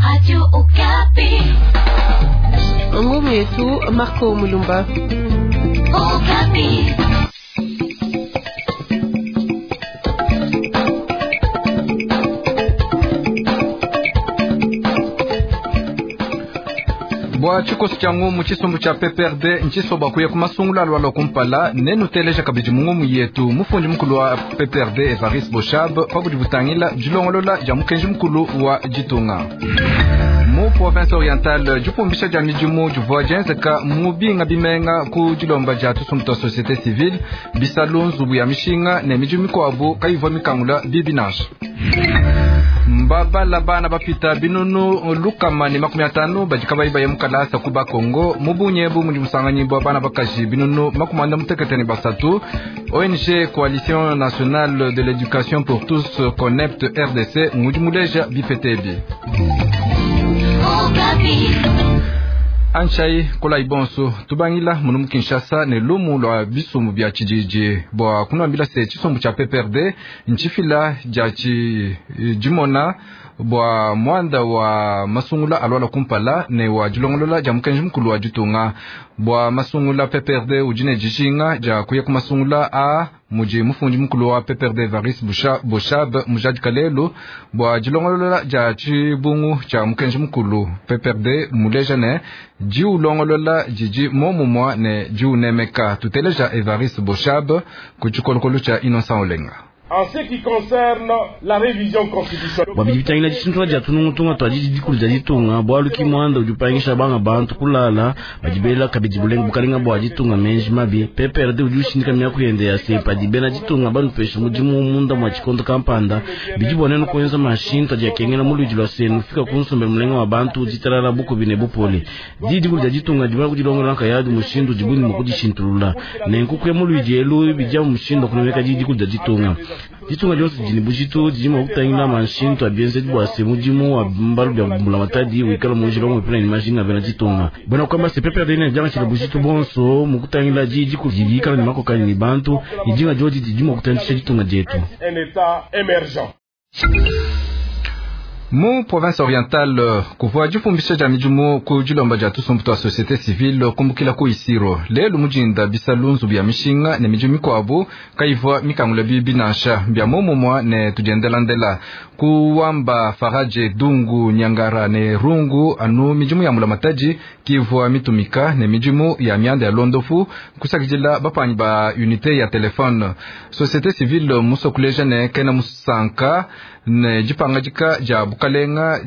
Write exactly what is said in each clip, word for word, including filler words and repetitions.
Radio Okapi. Ngumu yetu Marco Mulumba. Okapi. Bwa tshikoso tshia ngumu tshisumbu tshia P P R D ntshisoba kuya ku masungula alwalwa kumpala nenuteleja kabidi mu ngumu yetu mufundi mukulu wa P P R D Evariste Boshab pabudi butangila dilongolola dia mukenji mukulu wa ditunga. Mu province orientale dipumbisha dia midimu divua dienzeka mu binga bimenga ku dilomba dia tusumbu tua société civile bisalu nzubu ya mishinga ne midimu mikuabu kayivua mikangula bibi nansha. Mbabala bana bapita binunu lukama ne makumi atanu badi kabayi baye mu kalasa ku Bakongo mu bunyebu mudi musanganyi bwa bana bakaji binunu makumi anda mutekete ne basatu. O N G Coalition Nationale de l'Education pour Tous Connect R D C ngudi muleja bipete bi. Anchai kola ibonso tubangila munu mu Kinshasa ne lumu lwa bisumbu bya tshididi bwa kunwambila se tshisumbu tshia P P R D ntshifila dia tshi dimona bwa mwanda wa masungula alwala kumpala ne wa dilongolola dia mukenji mukulu wa ditunga bwa masungula P P R D udi ne dijinga dia kuya ku masungula a mudi mufundi mukulu wa P P R D Evariste Boshab mujadika lelu bwa dilongolola dia tshibungu tshia mukenji mukulu P P R D muleja ne diulongolola didi momumwa ne diunemeka. Tuteleja Evariste Boshab ku tshikolokolo tshia Innocent Olenga. En ce qui concerne la révision constitutionnelle, bwa bitangila dishintula dia tunungutunga twa didi dikulu dia ditunga bwalu ki mwanda udi upangisha banga bantu kulala badibela kabidi bulenga bukalenga bwa ditunga menji mabi. P P R D udi ushindika miaku yende ya se padi bena ditunga banupesha mudimu munda mwa tshikondo kampanda bidi bua nenu kuenza mashintu adi akengela mu luidi lua senu fika ku nsombe mulenga wa bantu ditalala bukubi ne bupole. Didi dikulu dia ditunga dibona kudilongola nkayadi mushindu dibuni mu kudishintulula nenku kuya mu luidi elu bidia mushindu kunemeka didi dikulu dia ditunga. Ditunga dionso didi ne bujitu didi mua kutangila mashintu a bienzedi bua se mudimu wa mbalu bia mbulamatadi wikala mu njila umwe pena ne majinga bena ditunga. Bena kwamba se P P R D ne diangatshila bujitu bonso mu kutangila didi dikulu didi dikala ne makokanyi ne bantu ne dinga diodi didi mua kutandisha ditunga dietu. Un état émergent. Mu province orientale kuvua difumbisha dia midimu ku dilomba dia tusumbu tua société civile kumbukila ku Isiro lelu mujinda bisalu nzubu ya mishinga ne midimu mikuabu kayivua mikangula bibi nansha bia momumwa ne tudiendelandela kuwamba Faraje Dungu Nyangara ne Rungu anu midimu ya mulamatadi kivua mitumika ne midimu ya mianda ya londofu kusakidila bapanyi ba unité ya telefone. Société civile musokuleja ne kena musanka ne dipangadika dia bukalenga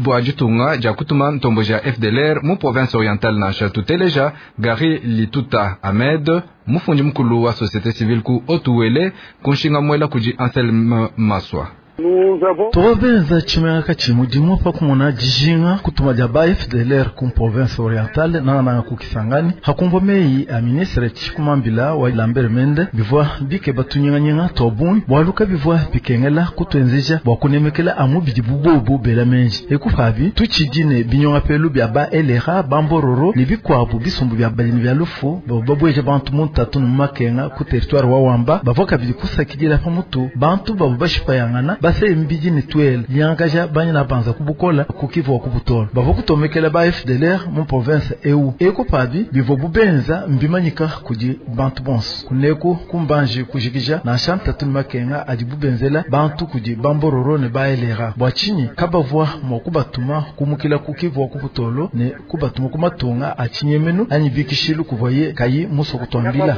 bwa ditunga dia kutuma ntombo ja F D L R mu province orientale nansha. Tuteleja Gary Lituta Ahmed mufundi mukulu wa société civile ku Otuwele kunshinga mwela kudi Anselme Maswa. Tobenza tshimenga tshimudimu pa kumona dijinga kutuma dia ba F D L R ku province orientale na na ku Kisangani hakumva meyi a ministre Tshikumambila wa Lambert Mende bivua bike batunyinganyinga tobun bwaluka bivua bikengela kutuenzeja bwa kunemekela amu bidi bubobu bela menji ekufabi tuchidine binyonga pelu bia ba L R A bambororo ne bikwabu bisumbu bia balimi bia lufu babweje bantu muntatu mu makenga ku territoire wa Wamba bavoka bidi kusakidila pamutu bantu babu bashipayangana base mbidi ne twele liangaja banya banza kubukola kukivu wa kubutola bavo kutomekela ba F D L R mu province eu eko pabi bivo bubenza mbimanyika kudi bantu bonso kuneku kumbanje kujikija na shanta tunu makenga adi bubenzela bantu kudi bambororo ne ba L R A bwa chini kabavwa mwa kubatuma kumukila kukivu wa kubutolo ne kubatuma kumatunga achinyemenu anyi bikishilu kuvoye kayi muso kutwambila.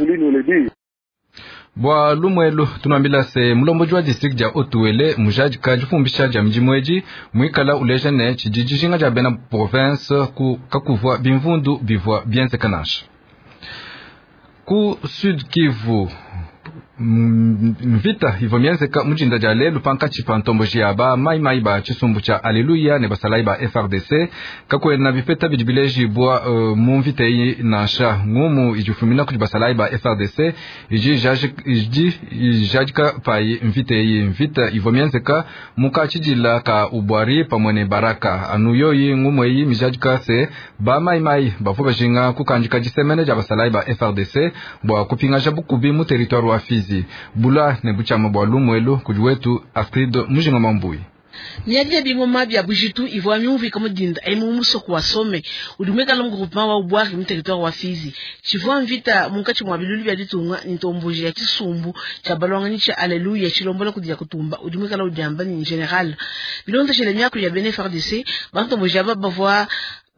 Bwa lumwelu tunwambila se mulomboji wa district dia Otuwele mujadika difumbisha dia midimu edi mwikala uleja ne tshidi dijinga dia bena province ku kakuvua bimvundu bivua bienzeka nansha. Ku Sud Kivu mvita ivua mienzeka mujinda dia lelu pankatshi pa ntomboji ya ba maimai ba tshisumbu tshia Alleluia ne basalayi ba F R D C kakwena bipeta bidi bilejibwa uh, mu mvita eyi nansha ngumu idifumina kudi basalayi ba F R D C idi ijadika payi mvita eyi. Mvita ivua mienzeka mukatshidila ka ubwari pamwe ne baraka anu yoyi ngumu eyi mijadika se ba maimai bavua bajinga kukandika disemene dia basalayi ba F R D C bua kupingaja bukubi mu territoire wa Fizi. Bula ne buchama bwa lumwelu kudi wetu Astrid Mujinga Mambui. Miadi ya bingoma bya bujitu ivua miumvika mudinda emu musoko wa Some udi muikala mu groupement wa Ubwari mu territoire wa Fizi. Tshivua mvita munkatshi mua bilulu bya ditunga ni ntomboji ya tshisumbu tshia balwanganyi tsha Alleluia tshilombola kudi ya kutumba udi muikala udiamba ni general. Bilondeshele miaku ya bena F A R D C bantomboji aba bavua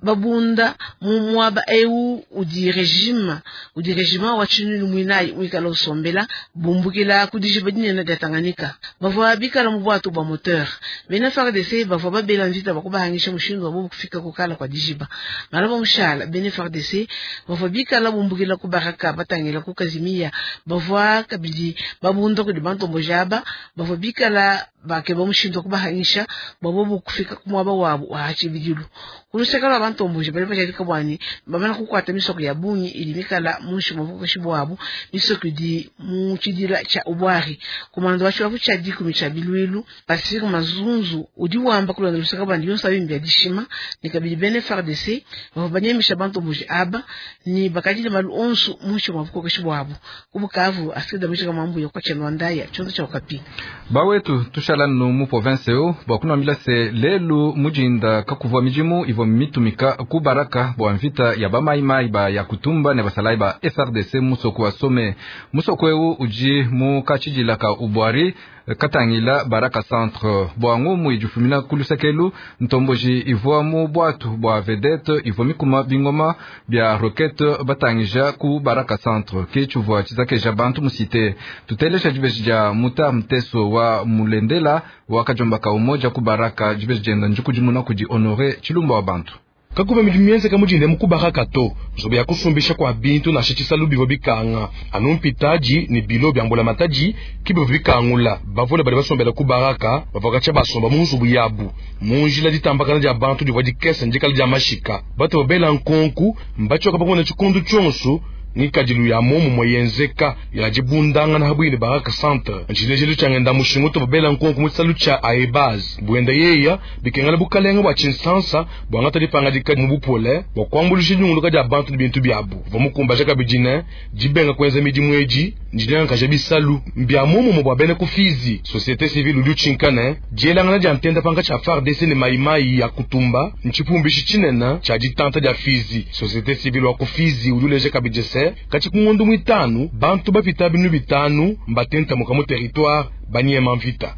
babunda mu mwaba eu udi regime udi regime wa chinunu mwinai mwikala usombela bumbukila kudijiba dinene dia Tanganyika bavua bikala mu bwatu bwa moteur bena F A R D C bavua babela mvita bakubahangisha mushindu wa bobu kufika kukala kwa dijiba malaba mushala bena F A R D C bavua bikala bumbukila ku baraka batangila ku Kazimia bavua kabidi babunda kudi bantombo jaba bavua bikala bakeba mushindu wa kubahangisha bwa kufika ku mwaba wabo wa hachibidilu kulusekala bantomboje bali bajalika bwani bamana kukwata misoko ya bungi ili mikala munshi mubukoshi bwabo misoko di mu chidila cha ubwari komando wa chiwafu cha dikumi cha bilwilu Pacifique Mazunzu udi wamba kulonda lusaka bandi yonso abimbya dishima ni kabili bene F A R D C bavanyamisha bantomboje aba ni bakajile malu onsu munshi mubukoshi bwabo kubukavu asida mishika mambu ya kwa chenwandaya chonzo cha Okapi bawetu tushala no mu province yo bakunambila se lelu mujinda kakuvwa mijimu ivo mitumika ku baraka bwa mvita ya bamaimai ba ya kutumba ne basalai ba F R D C musoko wa Some musoko eu uji mu kachijila ka ubwari katangila baraka centre bwa ngumu ijufumina kulusakelu ntomboji ivwa mu bwatu bwa vedette ivwa mikuma bingoma bya roquette batangija ku baraka centre ke chuvwa chizakeja bantu musite tutelesha jibeji ja muta mteso wa mulendela wa kajomba ka umoja ku baraka jibeji jenda njukujimuna kudi honore chilumba wa bantu kakuva midimu mienzeka mudinde mukubaraka to nzobe ya kusumbisha kwa bintu na shitshisa lubivo bikanga anu mpitaji ni bilo bya mbula mataji kibivo bikangula bavule bali basombela kubaraka bavakatsha basomba mu nzubu yabu munjila ditambakana dia bantu divua dikese ndikala dia mashika bato babela nkonku mbatshioka pakumona tshikundu tshionso ngikadilu ya momu moyenzeka ya dibundangana habwine baraka centre ntshilejelu tshiangenda mushingu to babela nkonku mu tshisalu tshia aebaz buenda yeya bikengela bukalenga bua tshinsansa bwangata dipangadika mu bupole bua kuambulusha dinyunguluka dia bantu ne bintu biabu vamukumbaja kabidi ne dibenga kuenza midimu edi ndinyankaja bisalu mbia momumo bua bena kufizi société civile udi utshinkane dielangana dia ntenda panga tshia F A R D C ne maimai ya kutumba ntshipumbishi tshinene tshia ditanta dia fizi société civile wa kufizi udi uleja kabidi se kati kungondo mwitanu bantu bapita binu bitanu mbatenta muka mu territoire banyema mvita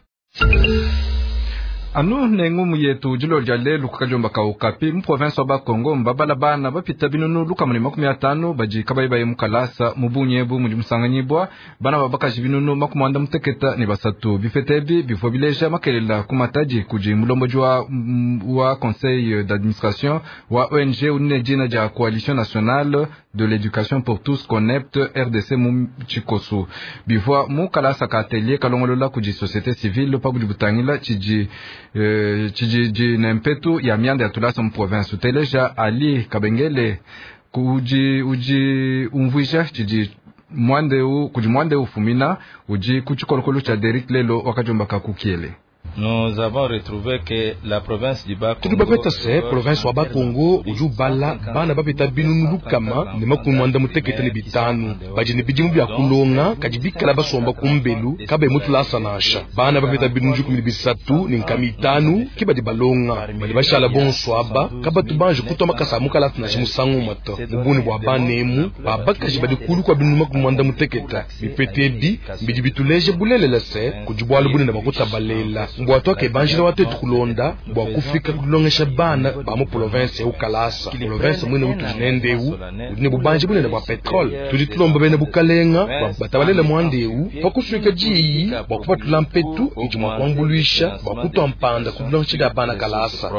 anu nengumu yetu dilo dia lelu kukajomba ka Okapi mu province wa Bakongo mbabala bana bapita binunu lukamuni makumi atanu badi kabayi baye mukalasa mu bunyebu mudi musanganyibwa bana babakaji binunu makumi anda muteketa ne basatu bifetebi bivua bileja makelela ku matadi kudi mulomboji wa, wa conseil d'administration wa O N G unene dina dia coalition nationale de l'éducation pour tous CONEPT R D C mu tshikosu bivua mu kalasa ka atelier kalongolola kudi société civile pa budi butangila tshidi tshijiji nempetu ya mianda ya tulasa mu province uteleja Ali Kabengele kuji uji umvuisha tshidi mwandeu kudi mwandeu fumina uji kutshikolokolo tshia Derek Lelo wakajomba kakukiele. Nous avons retrouvé que la province du Bas-Congo tudi bapeta se province wa Bakongo udi ubala bana bapeta binunu lukama ne makumi mwanda mutekete ne bitanu badi ne bidimu bya kulonga kadi bikala basomba kumbelu kabe mutulasa nansha bana bapeta binunu dikumi ne bisatu ne nkama itanu ke badi balonga badi bashala bonso aba kabatu banje kutwa makasa a mukalasa nansha musangu moto mubuni bua banemu babakaji badi kulu kua binunu makumi mwanda muteketa bipete ebi bidi bituleje bulelela se kudi bualu bunene bakutabalela mbwa toke banjila watetu kulonda bwa kufika kulongesha bana ba mu province eu kalasa province mwene utu udi ne bubanji bunene bwa petrole tudi tulomba bene bukalenga batabalela mwandeu pakusuika diyi bwa kupatula mpetu idi mwa kuambuluisha bwa kutwa mpanda kulongesha bana kalasa.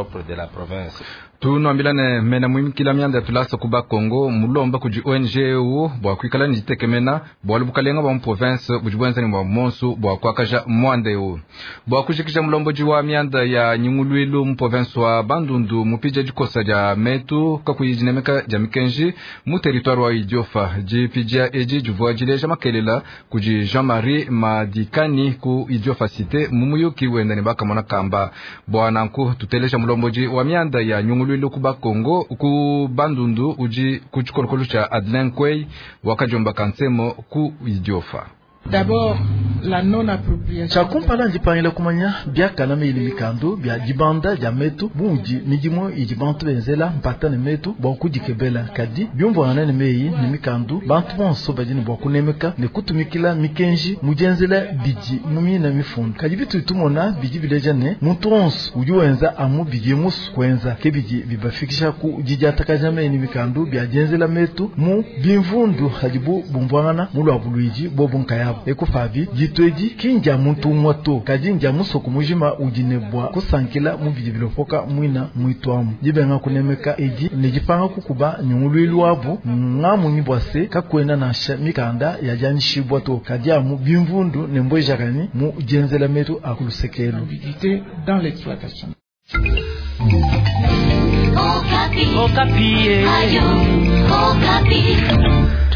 Tunwambilane mena mwimikila mianda ya tulasa ku Bakongo mulomba kudi O N G eu bwa kuikala ni ditekemena bwalu bukalenga bwa mu province budi buenza ni bwa monsu bwa kuakaja mwanda eu bwa kujikija mulomboji wa mianda ya nyungulwilu mu province wa Bandundu mupija dikosa dia metu kakuyi dinemeka dia mikenji mu territoire wa Idiofa dipija edi divua dileja makelela kudi Jean-Marie Madikani ku Idiofa cité mu muyuki wenda ne bakamona kamba bwa nanku tuteleja mulomboji wa mianda ya nyungulwilu ku Bakongo ku Bandundu uji ku tshikolokolo tshia Adelin Kwey wakajomba kansemo ku Idiofa. D'abord, la non-appropriation. Tshiakumpala ndipangila kumanya biakana meyi ne mikandu bia dibanda dia metu budi midimu idi bantu benzela mpata ne metu bua kudikebela, kadi biumvuangana ne meyi ne mikandu bantu bonso badi ne bua kunemeka ne kutumikila mikenji mu dienzela bidi mu mina mifundu. Kadi bitu tumona bidi bileja ne muntu wonso udi wenza amu bidi musu kuenza ke bidi bibafikisha ku didiatakaja meyi ne mikandu bia dienzela metu mu bimvundu hadibu bumvuangana mu lua buluidi bobu nkayabu ekufabi ditwedi kinja muntu umwe to kadi nja musoko mujima udi ne bua kusankila mu bidi bilopoka mwina mwitwamu dibenga kunemeka edi ne dipanga kukuba nyunguluilu wabu ngamunyi bua se kakwena nansha mikanda ya dianyishibwa to kadi amu bimvundu ne mbwejakani mu dienzela metu akulusekelu dans l'exploitation. Okapi. Okapi. Ayo, Okapi.